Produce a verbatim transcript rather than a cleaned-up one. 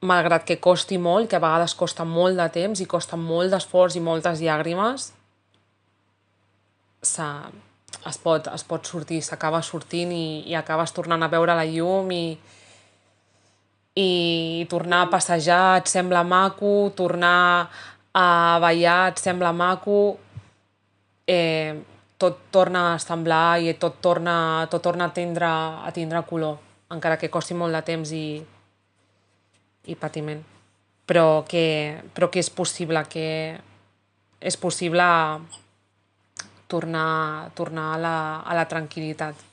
malgrat que costi molt, que a vegades costa molt de temps i costa molt d'esforç i moltes llàgrimes, es pot, es pot sortir, s'acaba sortint i, i acabes tornant a veure la llum i, i tornar a passejar et sembla maco, tornar a ballar et sembla maco, eh, tot torna a semblar i tot torna, tot torna a, tindre, a tindre color, encara que costi molt de temps i, i patiment. Però que, però que és possible, que és possible tornar, tornar a la, a la tranquil·litat.